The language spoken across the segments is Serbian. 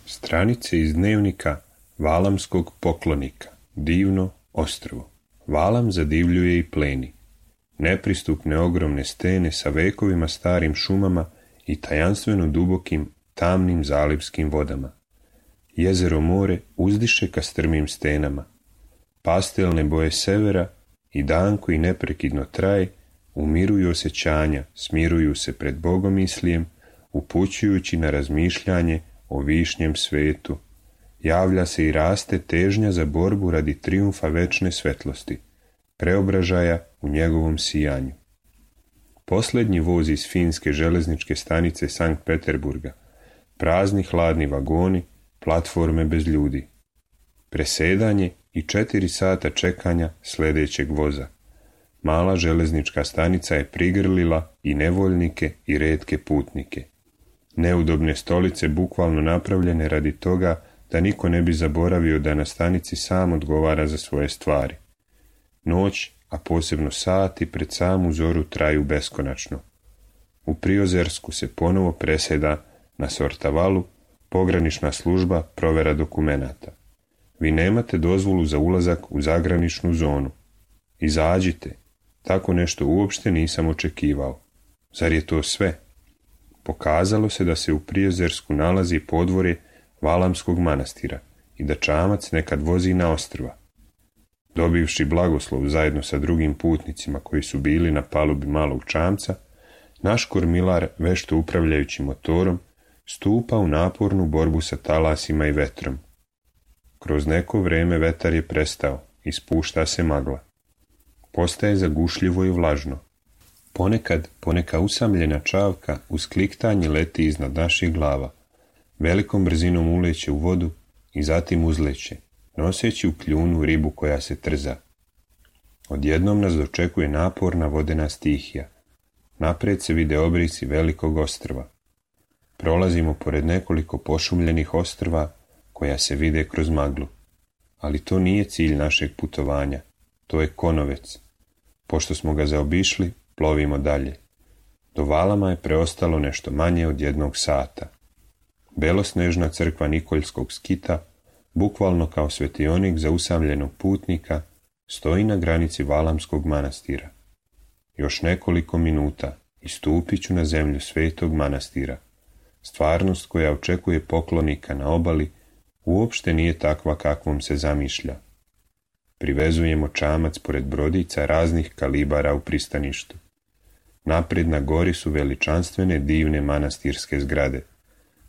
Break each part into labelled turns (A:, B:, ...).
A: Stranice iz dnevnika Valamskog poklonika. Divno ostrvo. Valam zadivljuje i pleni. Nepristupne ogromne stene sa vekovima starim šumama i tajanstveno dubokim, tamnim zalivskim vodama. Jezero more uzdiše ka strmim stenama. Pastelne boje severa i dan koji neprekidno traje umiruju osjećanja, smiruju se pred bogomislijem, upućujući na razmišljanje o višnjem svetu. Javlja se i raste težnja za borbu radi trijumfa večne svetlosti, preobražaja u njegovom sijanju. Posljednji voz iz finske železničke stanice Sankt Peterburga, prazni hladni vagoni, platforme bez ljudi. Presedanje i 4 sata čekanja sljedećeg voza. Mala železnička stanica je prigrlila i nevoljnike i retke putnike. Neudobne stolice bukvalno napravljene radi toga da niko ne bi zaboravio da na stanici sam odgovara za svoje stvari. Noć, a posebno sati pred samu zoru traju beskonačno. U Priozersku se ponovo preseda na Sortavalu pogranična služba provera dokumenata. Vi nemate dozvolu za ulazak u zagraničnu zonu. Izađite. Tako nešto uopšte nisam očekivao. Zar je to sve? Pokazalo se da se u Priozersku nalazi podvorje Valamskog manastira i da čamac nekad vozi na ostrva. Dobivši blagoslov zajedno sa drugim putnicima koji su bili na palubi malog čamca, naš kormilar, vešto upravljajući motorom, stupa u napornu borbu sa talasima i vetrom. Kroz neko vreme vetar je prestao i spušta se magla. Postaje zagušljivo i vlažno. Ponekad poneka usamljena čavka uz kliktanje leti iznad naših glava, velikom brzinom uleće u vodu i zatim uzleće, noseći u kljunu ribu koja se trza. Odjednom nas dočekuje naporna vodena stihija. Naprijed se vide obrisi velikog ostrva. Prolazimo pored nekoliko pošumljenih ostrva koja se vide kroz maglu. Ali to nije cilj našeg putovanja, to je Konovec. Pošto smo ga zaobišli, plovimo dalje. Do Valama je preostalo nešto manje od 1 sata. Belosnežna crkva Nikoljskog skita, bukvalno kao svetionik za usamljenog putnika, stoji na granici Valamskog manastira. Još nekoliko minuta i stupit ću na zemlju svetog manastira. Stvarnost koja očekuje poklonika na obali uopšte nije takva kakvom se zamišlja. Privezujemo čamac pored brodica raznih kalibara u pristaništu. Naprijed na gori su veličanstvene divne manastirske zgrade.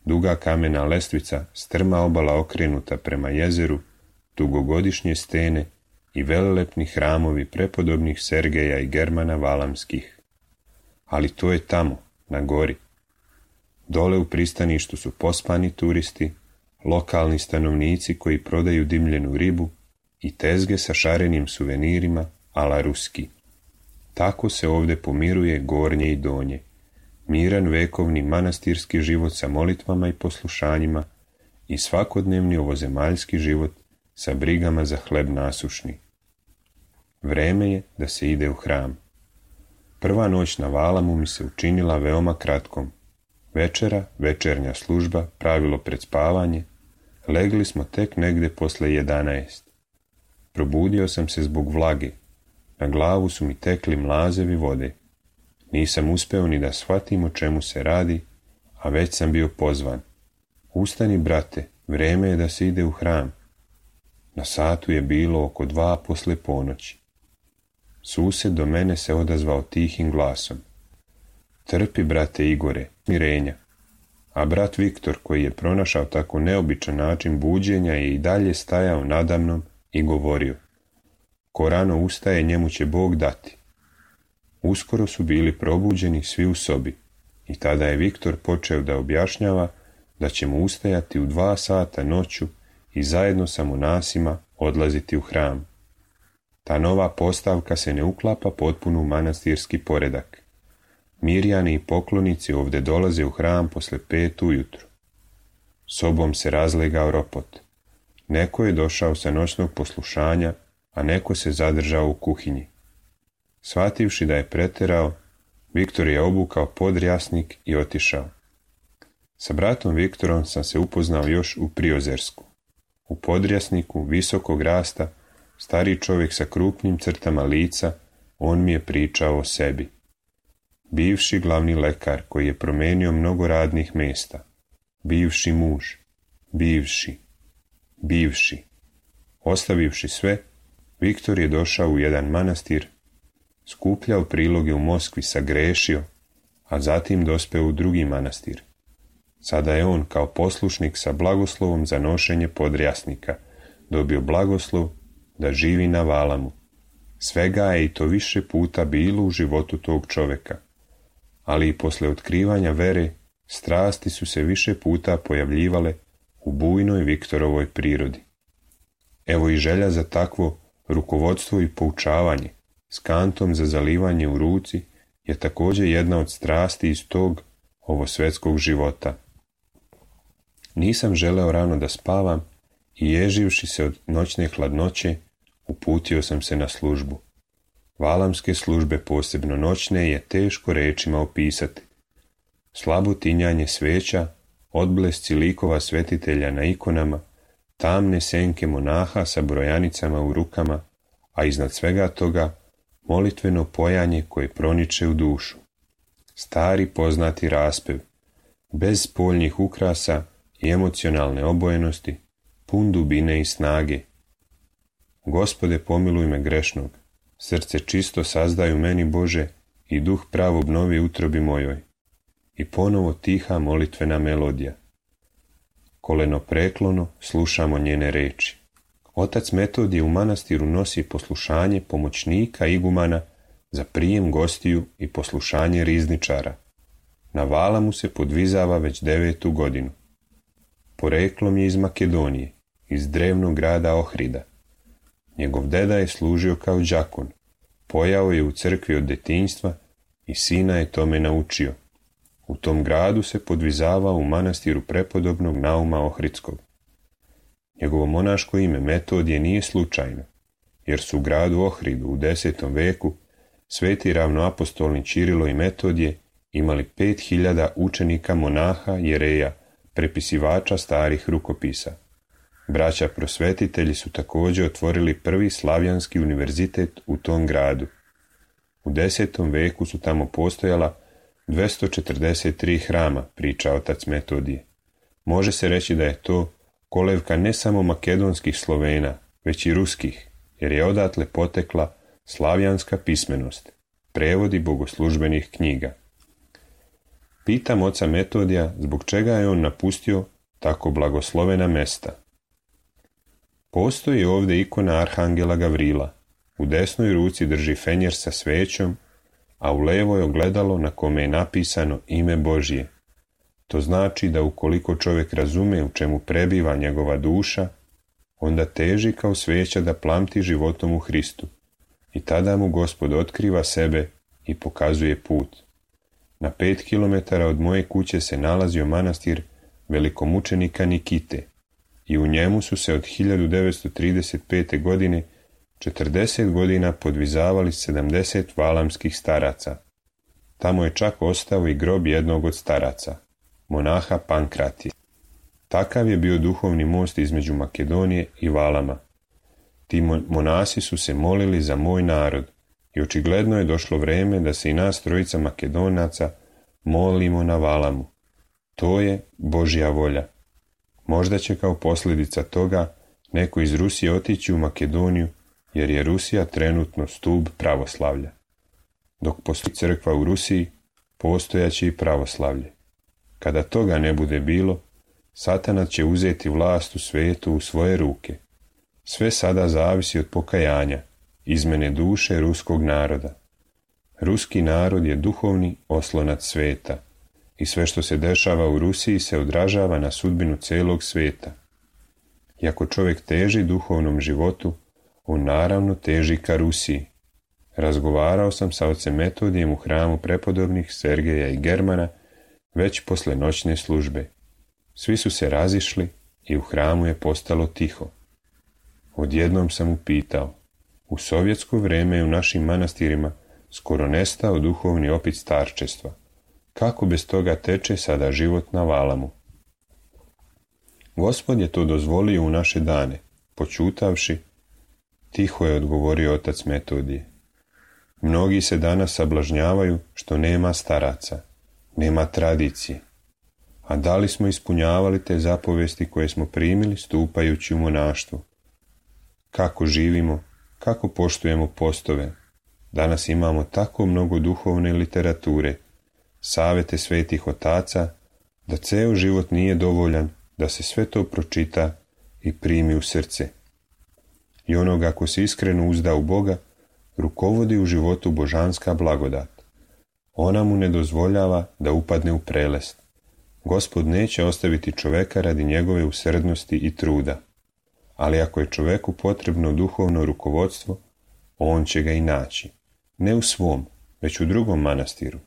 A: Duga kamena lestvica, strma obala okrenuta prema jezeru, dugogodišnje stene i velelepni hramovi prepodobnih Sergeja i Germana Valamskih. Ali to je tamo, na gori. Dole u pristaništu su pospani turisti, lokalni stanovnici koji prodaju dimljenu ribu i tezge sa šarenim suvenirima ala ruski. Tako se ovdje pomiruje gornje i donje. Miran vekovni manastirski život sa molitvama i poslušanjima i svakodnevni ovozemaljski život sa brigama za hleb nasušni. Vreme je da se ide u hram. Prva noć na Valamu mi se učinila veoma kratkom. Večera, večernja služba, pravilo pred spavanje, legli smo tek negde posle 11. Probudio sam se zbog vlage. Na glavu su mi tekli mlazevi vode. Nisam uspeo ni da shvatim o čemu se radi, a već sam bio pozvan. Ustani, brate, vreme je da se ide u hram. Na satu je bilo oko 2 posle ponoći. Sused do mene se odazvao tihim glasom. Trpi, brate Igore, mirenja. A brat Viktor, koji je pronašao tako neobičan način buđenja, je i dalje stajao nadamnom i govorio. Ko rano ustaje, njemu će Bog dati. Uskoro su bili probuđeni svi u sobi i tada je Viktor počeo da objašnjava da ćemo ustajati u 2 sata noću i zajedno sa monasima odlaziti u hram. Ta nova postavka se ne uklapa potpuno u manastirski poredak. Mirjani i poklonici ovdje dolaze u hram posle 5 ujutru. Sobom se razlegao ropot. Neko je došao sa noćnog poslušanja, a neko se zadržao u kuhinji. Shvativši da je preterao, Viktor je obukao podrjasnik i otišao. Sa bratom Viktorom sam se upoznao još u Priozersku. U podrjasniku, visokog rasta, stari čovjek sa krupnim crtama lica, on mi je pričao o sebi. Bivši glavni lekar koji je promijenio mnogo radnih mjesta. Bivši muž. Bivši. Ostavivši sve, Viktor je došao u jedan manastir, skupljao priloge u Moskvi, sagrešio, a zatim dospeo u drugi manastir. Sada je on kao poslušnik sa blagoslovom za nošenje podrjasnika dobio blagoslov da živi na Valamu. Svega je i to više puta bilo u životu tog čovjeka, ali i posle otkrivanja vere strasti su se više puta pojavljivale u bujnoj Viktorovoj prirodi. Evo i želja za takvo rukovodstvo i poučavanje s kantom za zalivanje u ruci je također jedna od strasti iz tog ovosvetskog života. Nisam želeo rano da spavam i ježivši se od noćne hladnoće, uputio sam se na službu. Valamske službe, posebno noćne, je teško rečima opisati. Slabo tinjanje sveća, odblesci likova svetitelja na ikonama, tamne senke monaha sa brojanicama u rukama, a iznad svega toga molitveno pojanje koje proniče u dušu. Stari poznati raspev, bez spoljnih ukrasa i emocionalne obojenosti, pun dubine i snage. Gospode, pomiluj me grešnog, srce čisto sazdaju meni Bože i duh prav obnovi utrobi mojoj. I ponovo tiha molitvena melodija. Koleno preklono slušamo njene reči. Otac Metodije u manastiru nosi poslušanje pomoćnika igumana za prijem gostiju i poslušanje rizničara. Na Valamu se podvizava već 9. godinu. Poreklom je iz Makedonije, iz drevnog grada Ohrida. Njegov deda je služio kao đakon, pojao je u crkvi od detinjstva i sina je tome naučio. U tom gradu se podvizavao u manastiru prepodobnog Nauma Ohridskog. Njegovo monaško ime Metodije nije slučajno, jer su u gradu Ohridu u 10. veku sveti ravnoapostolni Čirilo i Metodije imali 5000 učenika monaha, jereja, prepisivača starih rukopisa. Braća prosvetitelji su također otvorili prvi slavjanski univerzitet u tom gradu. U 10. veku su tamo postojala 243 hrama, priča otac Metodije. Može se reći da je to kolevka ne samo makedonskih Slovena, već i ruskih, jer je odatle potekla slavjanska pismenost, prevodi bogoslužbenih knjiga. Pitam oca Metodija zbog čega je on napustio tako blagoslovena mesta. Postoji ovdje ikona Arhangela Gavrila. U desnoj ruci drži fenjer sa svećom, a u levoj ogledalo na kome je napisano ime Božje. To znači da ukoliko čovjek razume u čemu prebiva njegova duša, onda teži kao sveća da plamti životom u Hristu. I tada mu Gospod otkriva sebe i pokazuje put. Na 5 kilometara od moje kuće se nalazio manastir velikomučenika Nikite i u njemu su se od 1935. godine 40 godina podvizavali 70 valamskih staraca. Tamo je čak ostao i grob jednog od staraca, monaha Pankratija. Takav je bio duhovni most između Makedonije i Valama. Ti monasi su se molili za moj narod i očigledno je došlo vrijeme da se i nas trojica Makedonaca molimo na Valamu. To je Božja volja. Možda će kao posljedica toga neko iz Rusije otići u Makedoniju, jer je Rusija trenutno stup pravoslavlja. Dok postoji crkva u Rusiji, postojaće i pravoslavlje. Kada toga ne bude bilo, Satana će uzeti vlast u svijetu u svoje ruke. Sve sada zavisi od pokajanja, izmene duše ruskog naroda. Ruski narod je duhovni oslonac svijeta i sve što se dešava u Rusiji se odražava na sudbinu celog svijeta. I ako čovjek teži duhovnom životu, on naravno teži ka Rusiji. Razgovarao sam sa ocem Metodijem u hramu prepodobnih Sergeja i Germana već posle noćne službe. Svi su se razišli i u hramu je postalo tiho. Odjednom sam upitao, u sovjetsko vrijeme je u našim manastirima skoro nestao duhovni opit starčestva. Kako bez toga teče sada život na Valamu? Gospod je to dozvolio u naše dane, počutavši, tiho je odgovorio otac Metodije. Mnogi se danas sablažnjavaju što nema staraca, nema tradicije. A da li smo ispunjavali te zapovesti koje smo primili stupajući u monaštvo? Kako živimo, kako poštujemo postove? Danas imamo tako mnogo duhovne literature, savete svetih otaca, da ceo život nije dovoljan da se sve to pročita i primi u srce. I onoga ko se iskreno uzda u Boga, rukovodi u životu božanska blagodat. Ona mu ne dozvoljava da upadne u prelest. Gospod neće ostaviti čoveka radi njegove usrdnosti i truda. Ali ako je čoveku potrebno duhovno rukovodstvo, on će ga i naći. Ne u svom, već u drugom manastiru.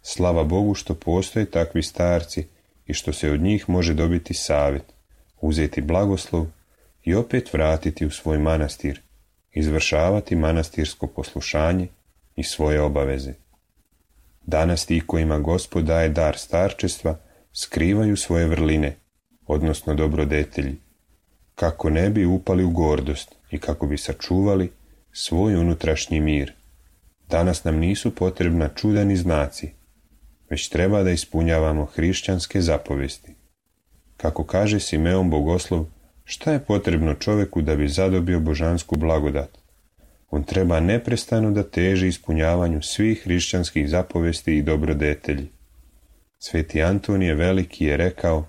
A: Slava Bogu što postoje takvi starci i što se od njih može dobiti savjet, uzeti blagoslov i opet vratiti u svoj manastir, izvršavati manastirsko poslušanje i svoje obaveze. Danas ti kojima Gospod daje dar starčestva skrivaju svoje vrline, odnosno dobrodetelji, kako ne bi upali u gordost i kako bi sačuvali svoj unutrašnji mir. Danas nam nisu potrebna čuda ni znaci, već treba da ispunjavamo hrišćanske zapovesti. Kako kaže Simeon Bogoslov, šta je potrebno čoveku da bi zadobio božansku blagodat? On treba neprestano da teži ispunjavanju svih hrišćanskih zapovesti i dobrodetelji. Sveti Antonije Veliki je rekao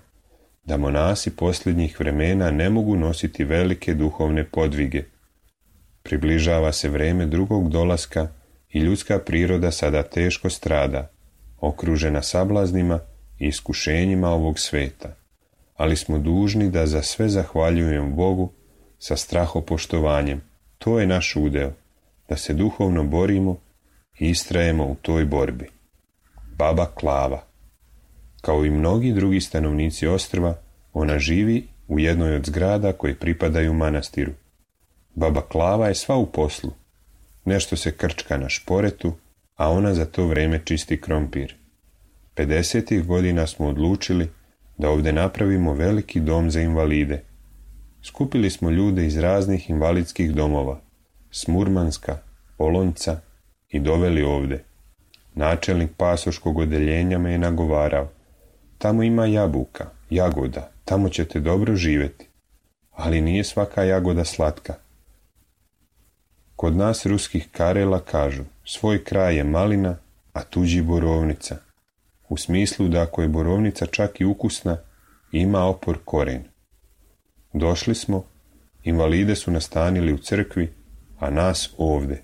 A: da monasi posljednjih vremena ne mogu nositi velike duhovne podvige. Približava se vreme drugog dolaska i ljudska priroda sada teško strada, okružena sablaznima i iskušenjima ovog sveta. Ali smo dužni da za sve zahvaljujemo Bogu sa strahopoštovanjem. To je naš udeo, da se duhovno borimo i istrajemo u toj borbi. Baba Klava. Kao i mnogi drugi stanovnici ostrva, ona živi u jednoj od zgrada koje pripadaju manastiru. Baba Klava je sva u poslu. Nešto se krčka na šporetu, a ona za to vreme čisti krompir. 50. godina smo odlučili da ovdje napravimo veliki dom za invalide. Skupili smo ljude iz raznih invalidskih domova, s Murmanska, Olonca i doveli ovdje. Načelnik pasoškog odeljenja me je nagovarao. Tamo ima jabuka, jagoda, tamo ćete dobro živjeti. Ali nije svaka jagoda slatka. Kod nas ruskih Karela kažu, svoj kraj je malina, a tuđi borovnica. U smislu da ako je borovnica čak i ukusna, ima opor koren. Došli smo, invalide su nastanili u crkvi, a nas ovde.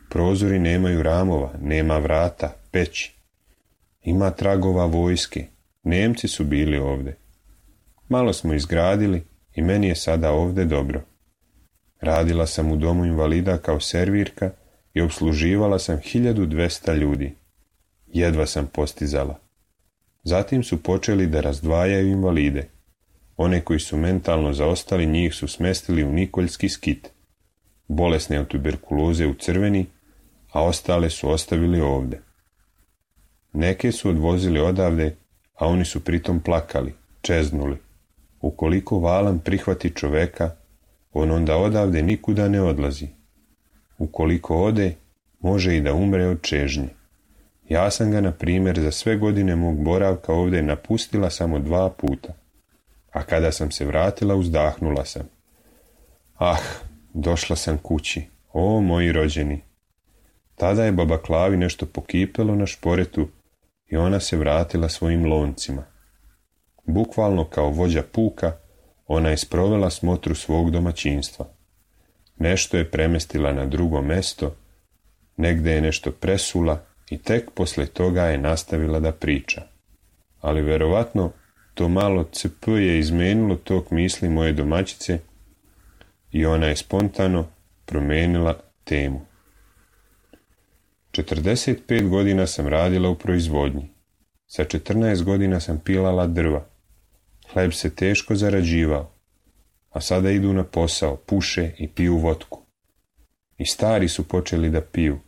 A: Prozori nemaju ramova, nema vrata, peći. Ima tragova vojske, Nemci su bili ovde. Malo smo izgradili i meni je sada ovde dobro. Radila sam u domu invalida kao servirka i obsluživala sam 1200 ljudi. Jedva sam postizala. Zatim su počeli da razdvajaju invalide. One koji su mentalno zaostali, njih su smestili u Nikoljski skit. Bolesne od tuberkuloze u Crveni, a ostale su ostavili ovde. Neke su odvozili odavde, a oni su pritom plakali, čeznuli. Ukoliko Valam prihvati čoveka, on onda odavde nikuda ne odlazi. Ukoliko ode, može i da umre od čežnje. Ja sam ga, na primjer, za sve godine mog boravka ovdje napustila samo 2 puta. A kada sam se vratila, uzdahnula sam. Ah, došla sam kući, o moji rođeni. Tada je baba Klavi nešto pokipelo na šporetu i ona se vratila svojim loncima. Bukvalno kao vođa puka, ona je sprovela smotru svog domaćinstva. Nešto je premestila na drugo mesto, negde je nešto presula i tek posle toga je nastavila da priča. Ali verovatno to malo CP je izmenilo tok misli moje domaćice i ona je spontano promenila temu. 45 godina sam radila u proizvodnji. Sa 14 godina sam pilala drva. Hleb se teško zarađivao, a sada idu na posao, puše i piju vodku. I stari su počeli da piju.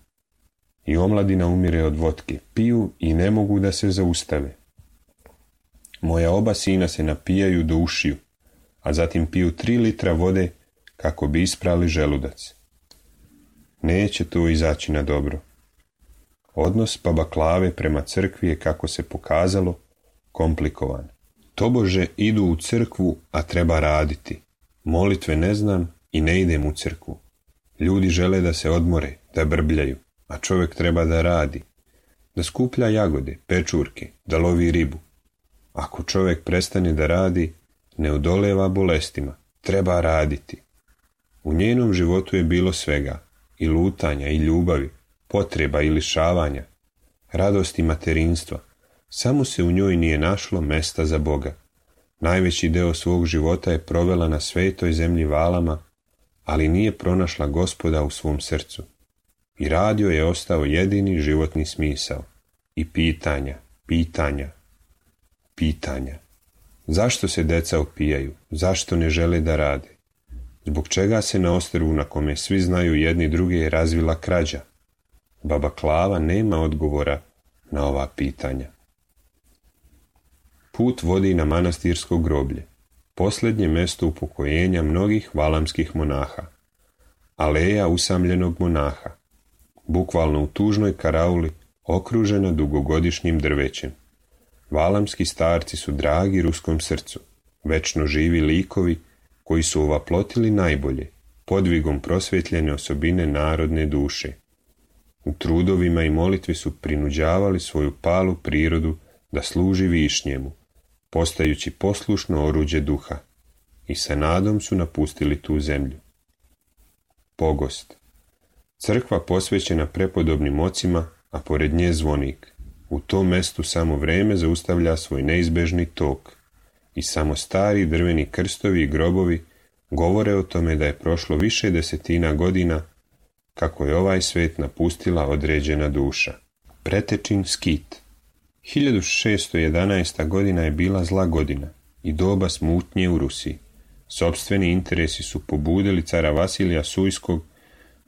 A: i omladina umire od vodke. Piju i ne mogu da se zaustave. Moja oba sina se napijaju do ušiju, a zatim piju 3 litra vode kako bi isprali želudac. Neće to izaći na dobro. Odnos baba Klave prema crkvi je, kako se pokazalo, komplikovan. Tobože idu u crkvu, a treba raditi. Molitve ne znam i ne idem u crkvu. Ljudi žele da se odmore, da brbljaju, a čovjek treba da radi. Da skuplja jagode, pečurke, da lovi ribu. Ako čovjek prestane da radi, ne odoleva bolestima, treba raditi. U njenom životu je bilo svega, i lutanja, i ljubavi, potreba i lišavanja, radosti materinstva. Samo se u njoj nije našlo mesta za Boga. Najveći deo svog života je provela na svetoj zemlji Valama, ali nije pronašla Gospoda u svom srcu. I radio je ostao jedini životni smisao. I pitanja. Zašto se deca opijaju? Zašto ne žele da rade? Zbog čega se na ostrvu na kome svi znaju jedni druge razvila krađa? Baba Klava nema odgovora na ova pitanja. Put vodi na manastirsko groblje, posljednje mjesto upokojenja mnogih valamskih monaha. Aleja usamljenog monaha, bukvalno u tužnoj karauli, okružena dugogodišnjim drvećem. Valamski starci su dragi ruskom srcu, večno živi likovi koji su ovaplotili najbolje, podvigom prosvjetljene osobine narodne duše. U trudovima i molitvi su prinuđavali svoju palu prirodu da služi višnjemu, postajući poslušno oruđe duha, i sa nadom su napustili tu zemlju. Pogost. Crkva posvećena prepodobnim ocima, a pored nje zvonik. U tom mestu samo vreme zaustavlja svoj neizbežni tok i samo stari drveni krstovi i grobovi govore o tome da je prošlo više desetina godina kako je ovaj svet napustila određena duša. Pretečin skit. 1611. godina je bila zla godina i doba smutnje u Rusiji. Sopstveni interesi su pobudili cara Vasilija Sujskog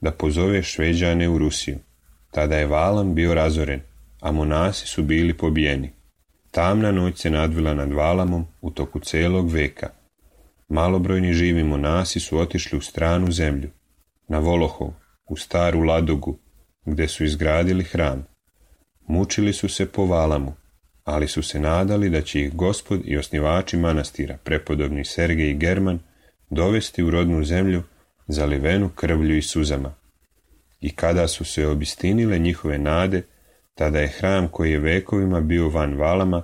A: da pozove Šveđane u Rusiju. Tada je Valam bio razoren, a monasi su bili pobijeni. Tamna noć se nadvila nad Valamom u toku celog veka. Malobrojni živi monasi su otišli u stranu zemlju, na Volohov, u staru Ladogu, gdje su izgradili hram. Mučili su se po Valamu, ali su se nadali da će ih Gospod i osnivači manastira, prepodobni Sergej i German, dovesti u rodnu zemlju zalivenu krvlju i suzama. I kada su se obistinile njihove nade, tada je hram koji je vekovima bio van Valama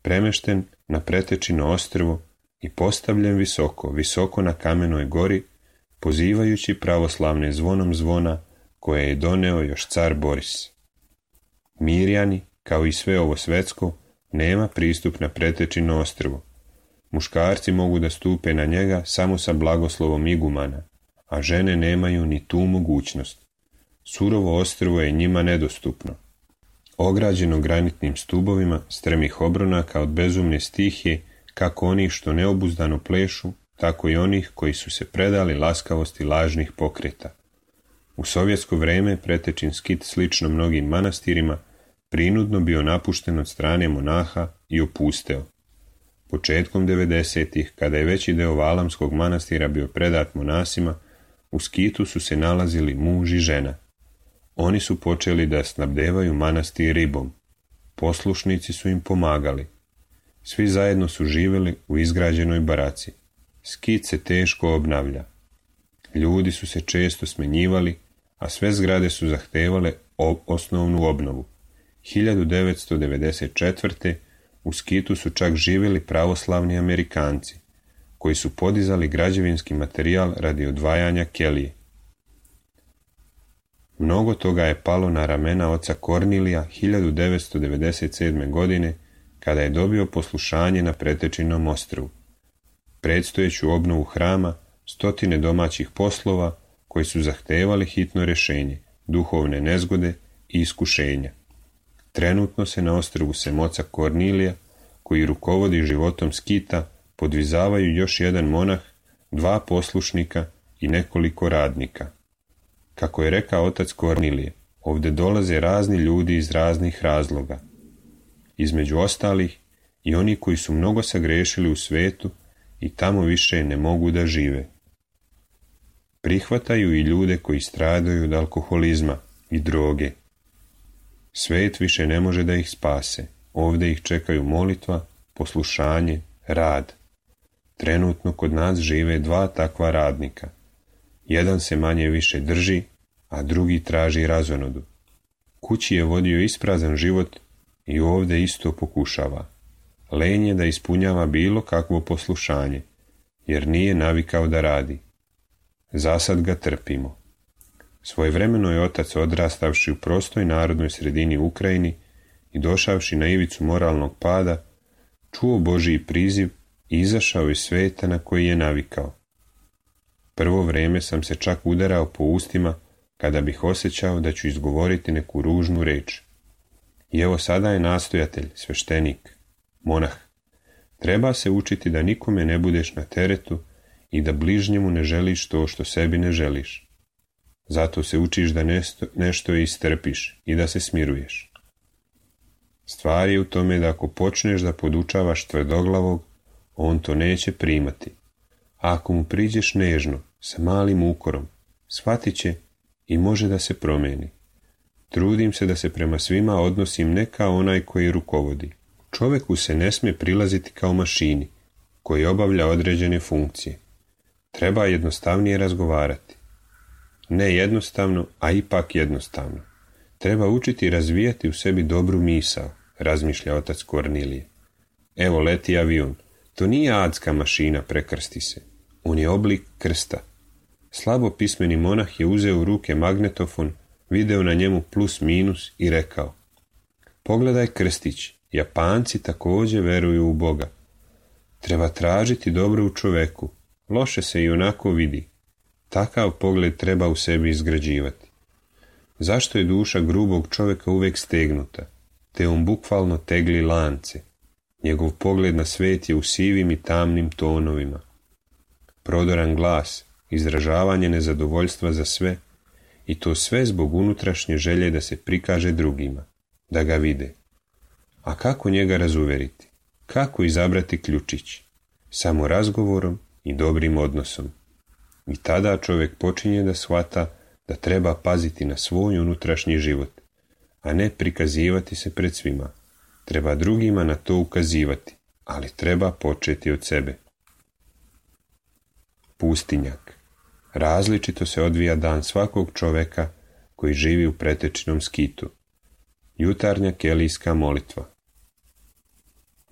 A: premešten na Pretečino ostrvo i postavljen visoko na kamenoj gori, pozivajući pravoslavne zvonom zvona koje je doneo još car Boris. Mirjani, kao i sve ovo svetsko, nema pristup na Pretečino ostrvo. Muškarci mogu da stupe na njega samo sa blagoslovom igumana, a žene nemaju ni tu mogućnost. Surovo ostrvo je njima nedostupno. Ograđeno granitnim stubovima strmih obronaka od bezumne stihije, kako onih što neobuzdano plešu, tako i onih koji su se predali laskavosti lažnih pokreta. U sovjetsko vrijeme Pretečin skit, slično mnogim manastirima, prinudno bio napušten od strane monaha i opusteo. Početkom 90-ih, kada je veći deo Valamskog manastira bio predat monasima, u skitu su se nalazili muž i žena. Oni su počeli da snabdevaju manastir ribom. Poslušnici su im pomagali. Svi zajedno su živjeli u izgrađenoj baraci. Skit se teško obnavlja. Ljudi su se često smenjivali, a sve zgrade su zahtevale osnovnu obnovu. 1994. u skitu su čak živjeli pravoslavni Amerikanci, koji su podizali građevinski materijal radi odvajanja kelije. Mnogo toga je palo na ramena oca Kornilija 1997. godine, kada je dobio poslušanje na Pretečinom ostrvu. Predstojeću obnovu hrama, stotine domaćih poslova koji su zahtevali hitno rješenje, duhovne nezgode i iskušenja. Trenutno se na ostrvu sem oca Kornilija, koji rukovodi životom skita, podvizavaju još jedan monah, 2 poslušnika i nekoliko radnika. Kako je rekao otac Kornilije, Ovdje dolaze razni ljudi iz raznih razloga. Između ostalih i oni koji su mnogo sagrešili u svetu i tamo više ne mogu da žive. Prihvataju i ljude koji stradaju od alkoholizma i droge. Svet više ne može da ih spase. Ovdje ih čekaju molitva, poslušanje, rad. Trenutno kod nas žive 2 takva radnika. Jedan se manje više drži, a drugi traži razonodu. Kući je vodio isprazan život i ovdje isto pokušava. Lenj je da ispunjava bilo kakvo poslušanje, jer nije navikao da radi. Zasad ga trpimo. Svojevremeno je otac, odrastavši u prostoj narodnoj sredini Ukrajini i došavši na ivicu moralnog pada, čuo Božji priziv i izašao iz sveta na koji je navikao. Prvo vrijeme sam se čak udarao po ustima kada bih osjećao da ću izgovoriti neku ružnu reč. I evo sada je nastojatelj, sveštenik, monah. Treba se učiti da nikome ne budeš na teretu i da bližnjemu ne želiš to što sebi ne želiš. Zato se učiš da nešto istrpiš i da se smiruješ. Stvar je u tome da ako počneš da podučavaš tvrdoglavog, on to neće primati. A ako mu priđeš nežno, sa malim ukorom, shvatit će i može da se promijeni. Trudim se da se prema svima odnosim ne kao onaj koji rukovodi. Čovjeku se ne smije prilaziti kao mašini, koji obavlja određene funkcije. Treba jednostavnije razgovarati. Ne jednostavno, a ipak jednostavno. Treba učiti razvijati u sebi dobru misao, razmišlja otac Kornilije. Evo leti avion. To nije adska mašina, prekrsti se. On je oblik krsta. Slabo pismeni monah je uzeo u ruke magnetofon, video na njemu plus minus i rekao: pogledaj krstić, Japanci također veruju u Boga. Treba tražiti dobro u čoveku, loše se i onako vidi. Takav pogled treba u sebi izgrađivati. Zašto je duša grubog čovjeka uvijek stegnuta, te on bukvalno tegli lance? Njegov pogled na svet je u sivim i tamnim tonovima. Prodoran glas, izražavanje nezadovoljstva za sve, i to sve zbog unutrašnje želje da se prikaže drugima, da ga vide. A kako njega razuveriti? Kako izabrati ključić? Samo razgovorom i dobrim odnosom. I tada čovjek počinje da shvata da treba paziti na svoj unutrašnji život, a ne prikazivati se pred svima. Treba drugima na to ukazivati, ali treba početi od sebe. Pustinjak. Različito se odvija dan svakog čovjeka koji živi u pretečinom skitu. Jutarnja kelijska molitva.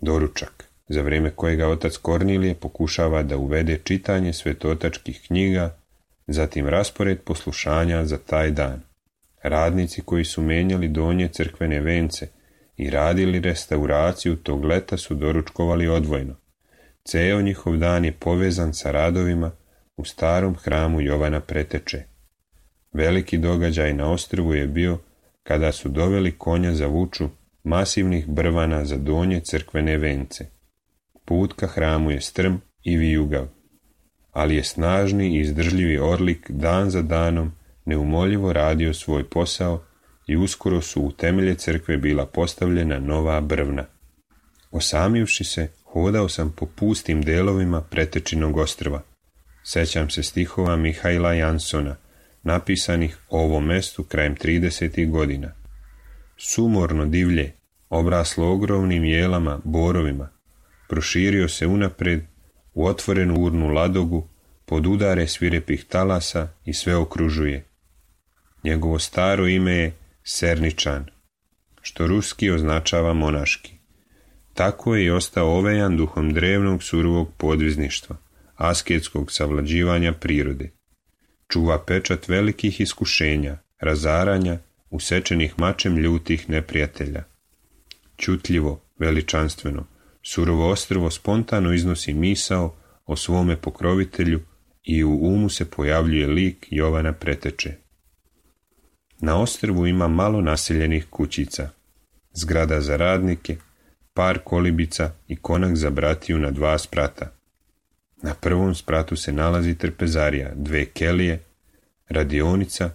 A: Doručak, za vrijeme kojega otac Kornilije pokušava da uvede čitanje svetotačkih knjiga, zatim raspored poslušanja za taj dan. Radnici koji su menjali donje crkvene vence i radili restauraciju tog leta su doručkovali odvojno. Ceo njihov dan je povezan sa radovima u starom hramu Jovana Preteče. Veliki događaj na ostrvu je bio kada su doveli konja za vuču masivnih brvana za donje crkvene vence. Put ka hramu je strm i vijugav, ali je snažni i izdržljivi orlik dan za danom neumoljivo radio svoj posao i uskoro su u temelje crkve bila postavljena nova brvna. Osamivši se, hodao sam po pustim delovima Pretečinog ostrva. Sećam se stihova Mihajla Jansona, napisanih o ovom mestu krajem 30. godina. Sumorno divlje, obraslo ogromnim jelama, borovima, proširio se unapred u otvorenu urnu ladogu, pod udare svirepih talasa i sve okružuje. Njegovo staro ime je Serničan, što ruski označava monaški. Tako je i ostao ovejan duhom drevnog surovog podvizništva, asketskog savlađivanja prirode. Čuva pečat velikih iskušenja, razaranja, usečenih mačem ljutih neprijatelja. Ćutljivo, veličanstveno, surovo ostrvo spontano iznosi misao o svome pokrovitelju i u umu se pojavljuje lik Jovana Preteče. Na ostrvu ima malo naseljenih kućica, zgrada za radnike, par kolibica i konak za bratiju na 2 sprata. Na prvom spratu se nalazi trpezarija, 2 kelije, radionica,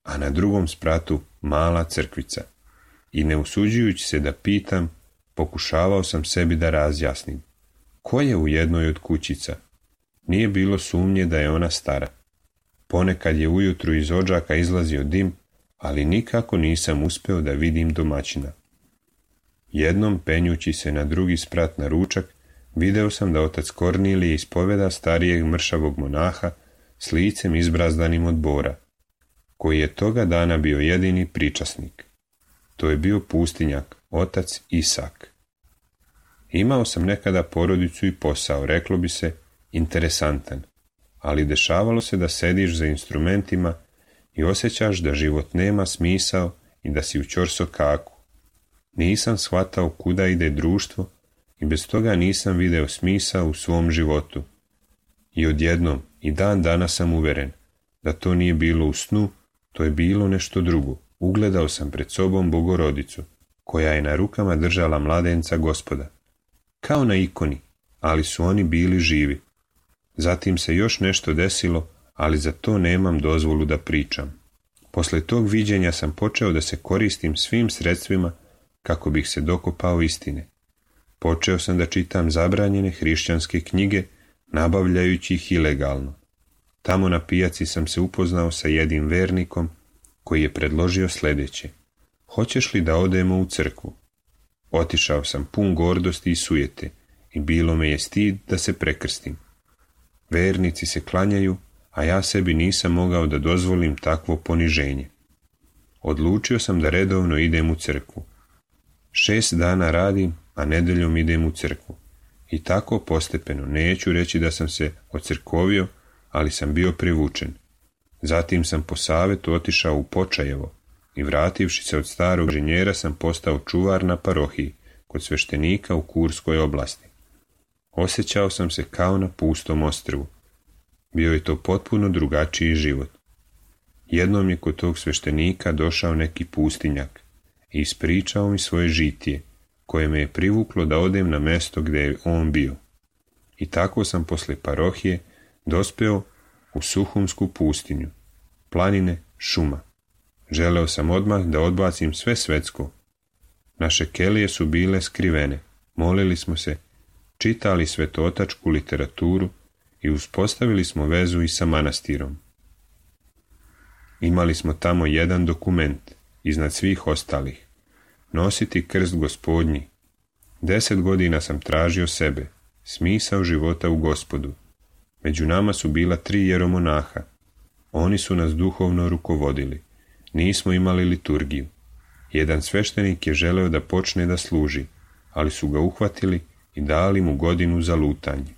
A: a na drugom spratu mala crkvica. I ne usuđujući se da pitam, pokušavao sam sebi da razjasnim. Ko je u jednoj od kućica? Nije bilo sumnje da je ona stara. Ponekad je ujutru iz odžaka izlazio dim, ali nikako nisam uspeo da vidim domaćina. Jednom, penjući se na drugi sprat na ručak, video sam da otac Kornilije ispoveda starijeg mršavog monaha s licem izbrazdanim od bora, koji je toga dana bio jedini pričasnik. To je bio pustinjak, otac Isak. Imao sam nekada porodicu i posao, reklo bi se, interesantan, ali dešavalo se da sediš za instrumentima i osjećaš da život nema smisao i da si u ćorsokaku. Nisam shvatao kuda ide društvo i bez toga nisam video smisao u svom životu. I odjednom i dan danas sam uveren da to nije bilo u snu, to je bilo nešto drugo. Ugledao sam pred sobom Bogorodicu, koja je na rukama držala mladenca Gospoda. Kao na ikoni, ali su oni bili živi. Zatim se još nešto desilo, ali za to nemam dozvolu da pričam. Posle tog viđenja sam počeo da se koristim svim sredstvima kako bih se dokopao istine. Počeo sam da čitam zabranjene hrišćanske knjige, nabavljajući ih ilegalno. Tamo na pijaci sam se upoznao sa jednim vernikom koji je predložio sljedeće. Hoćeš li da odemo u crkvu? Otišao sam pun gordosti i sujete i bilo me je stid da se prekrstim. Vernici se klanjaju, a ja sebi nisam mogao da dozvolim takvo poniženje. Odlučio sam da redovno idem u crkvu. 6 dana radim, a nedeljom idem u crkvu. I tako postepeno, neću reći da sam se ocrkovio, ali sam bio privučen. Zatim sam po savetu otišao u Počajevo i vrativši se od starog inženjera sam postao čuvar na parohiji kod sveštenika u Kurskoj oblasti. Osjećao sam se kao na pustom ostrvu. Bio je to potpuno drugačiji život. Jednom je kod tog sveštenika došao neki pustinjak i ispričao mi svoje žitije, koje me je privuklo da odem na mesto gdje je on bio. I tako sam posle parohije dospeo u Suhumsku pustinju, planine, šuma. Želeo sam odmah da odbacim sve svetsko. Naše kelije su bile skrivene, molili smo se, čitali svetotačku literaturu i uspostavili smo vezu i sa manastirom. Imali smo tamo jedan dokument, iznad svih ostalih. Nositi krst Gospodnji. 10 godina sam tražio sebe, smisao života u Gospodu. Među nama su bila 3 jeromonaha. Oni su nas duhovno rukovodili. Nismo imali liturgiju. Jedan sveštenik je želeo da počne da služi, ali su ga uhvatili i dali mu godinu za lutanje.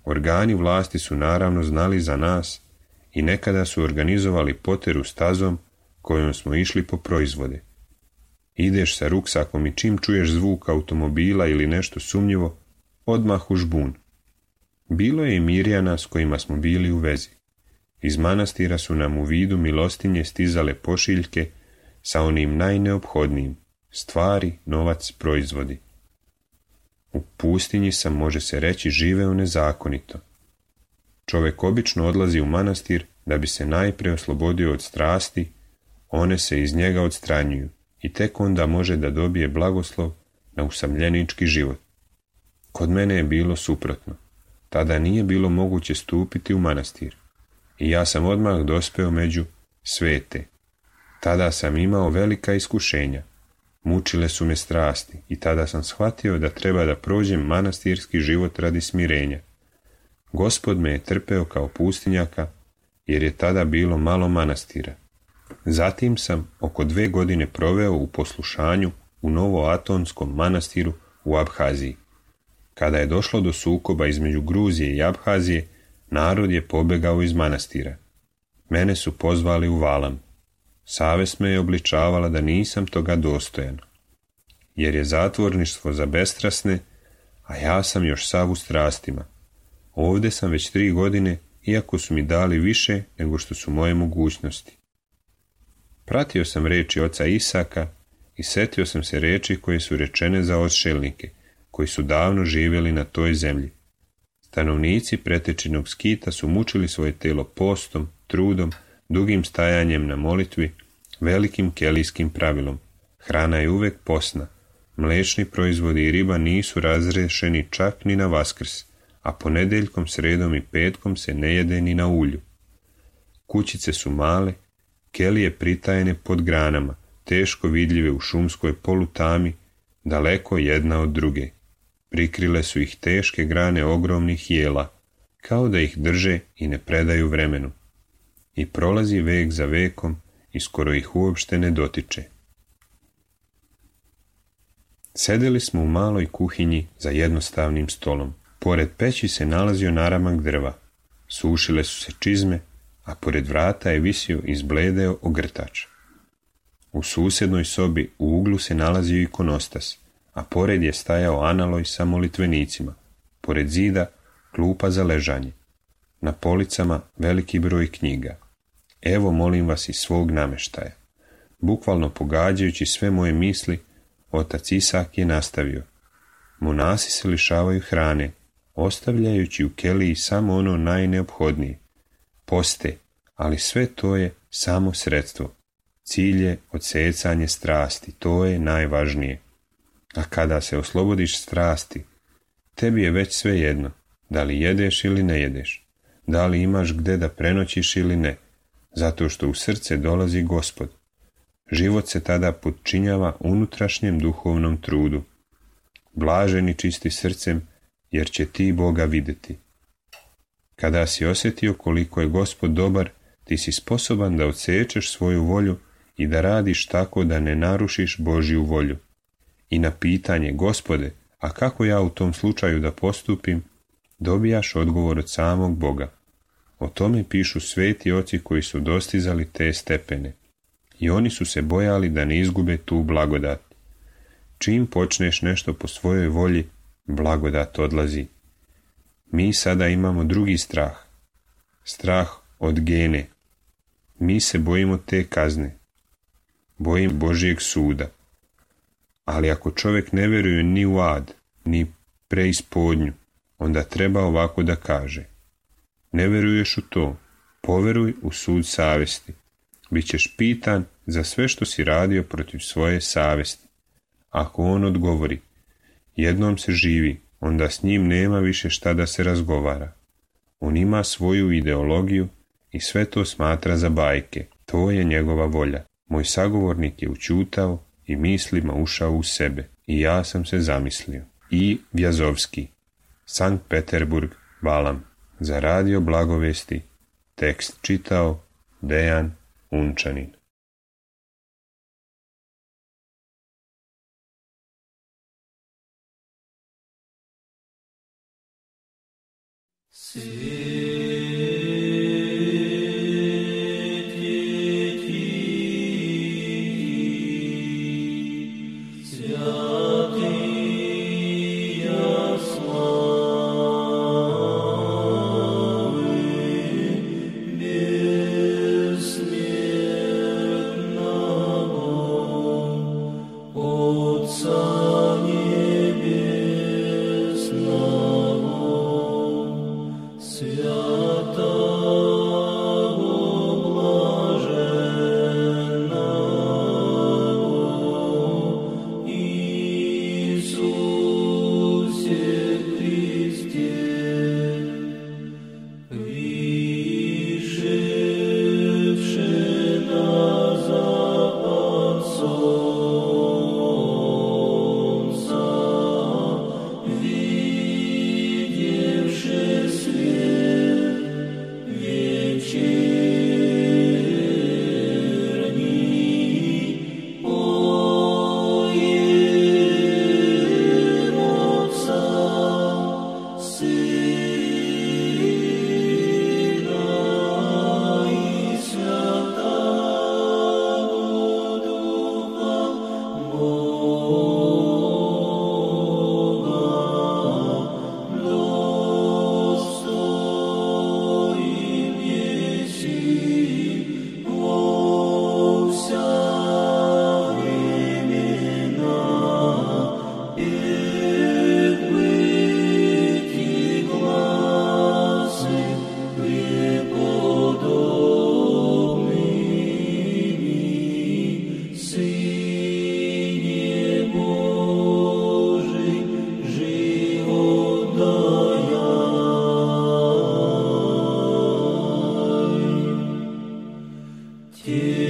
A: Organi vlasti su naravno znali za nas i nekada su organizovali poteru stazom kojom smo išli po proizvode. Ideš sa ruksakom i čim čuješ zvuk automobila ili nešto sumnjivo, odmah u žbun. Bilo je i Mirjana s kojima smo bili u vezi. Iz manastira su nam u vidu milostinje stizale pošiljke sa onim najneophodnijim, stvari, novac, proizvodi. U pustinji sam, može se reći, živeo nezakonito. Čovjek obično odlazi u manastir da bi se najprije oslobodio od strasti, one se iz njega odstranjuju i tek onda može da dobije blagoslov na usamljenički život. Kod mene je bilo suprotno. Tada nije bilo moguće stupiti u manastir i ja sam odmah dospeo među svete. Tada sam imao velika iskušenja. Mučile su me strasti i tada sam shvatio da treba da prođem manastirski život radi smirenja. Gospod me je trpeo kao pustinjaka jer je tada bilo malo manastira. Zatim sam oko 2 godine proveo u poslušanju u Novoatonskom manastiru u Abhaziji. Kada je došlo do sukoba između Gruzije i Abhazije, narod je pobegao iz manastira. Mene su pozvali u Valam. Savest me je obličavala da nisam toga dostojan, jer je zatvorništvo za bestrasne, a ja sam još sav u strastima. Ovdje sam već 3 godine, iako su mi dali više nego što su moje mogućnosti. Pratio sam riječi oca Isaka i setio sam se riječi koje su rečene za odšelnike, koji su davno živjeli na toj zemlji. Stanovnici pretečenog Skita su mučili svoje telo postom, trudom, dugim stajanjem na molitvi, velikim kelijskim pravilom. Hrana je uvek posna. Mlečni proizvodi i riba nisu razrešeni čak ni na Vaskrs, a ponedeljkom, sredom i petkom se ne jede ni na ulju. Kućice su male, kelije pritajene pod granama, teško vidljive u šumskoj polutami, daleko jedna od druge. Prikrile su ih teške grane ogromnih jela, kao da ih drže i ne predaju vremenu. I prolazi vek za vekom i skoro ih uopšte ne dotiče. Sedeli smo u maloj kuhinji za jednostavnim stolom. Pored peći se nalazio naramak drva. Sušile su se čizme, a pored vrata je visio izbledeo ogrtač. U susednoj sobi u uglu se nalazio ikonostas, a pored je stajao analoj sa molitvenicima. Pored zida klupa za ležanje. Na policama veliki broj knjiga. Evo, molim vas, iz svog nameštaja. Bukvalno pogađajući sve moje misli, otac Isak je nastavio. Monasi se lišavaju hrane, ostavljajući u keliji samo ono najneophodnije. Poste, ali sve to je samo sredstvo. Cilj je odsecanje strasti, to je najvažnije. A kada se oslobodiš strasti, tebi je već sve jedno, da li jedeš ili ne jedeš, da li imaš gde da prenoćiš ili ne, zato što u srce dolazi Gospod. Život se tada podčinjava unutrašnjem duhovnom trudu. Blaženi čisti srcem, jer će ti Boga vidjeti. Kada si osjetio koliko je Gospod dobar, ti si sposoban da odsečeš svoju volju i da radiš tako da ne narušiš Božju volju. I na pitanje, Gospode, a kako ja u tom slučaju da postupim, dobijaš odgovor od samog Boga. O tome pišu sveti oci koji su dostizali te stepene. I oni su se bojali da ne izgube tu blagodat. Čim počneš nešto po svojoj volji, blagodat odlazi. Mi sada imamo drugi strah. Strah od gene. Mi se bojimo te kazne. Bojim Božijeg suda. Ali ako čovjek ne vjeruje ni u ad, ni preispodnju, onda treba ovako da kaže. Ne vjeruješ u to, poveruj u sud savjesti. Bićeš pitan za sve što si radio protiv svoje savjesti. Ako on odgovori, jednom se živi, onda s njim nema više šta da se razgovara. On ima svoju ideologiju i sve to smatra za bajke. To je njegova volja. Moj sagovornik je učutao i mislima ušao u sebe. I ja sam se zamislio. I Vjazovski, Sankt Peterburg, Valam. Za radio Blagovesti. Tekst čitao Dejan Unčanin.
B: Свят Tě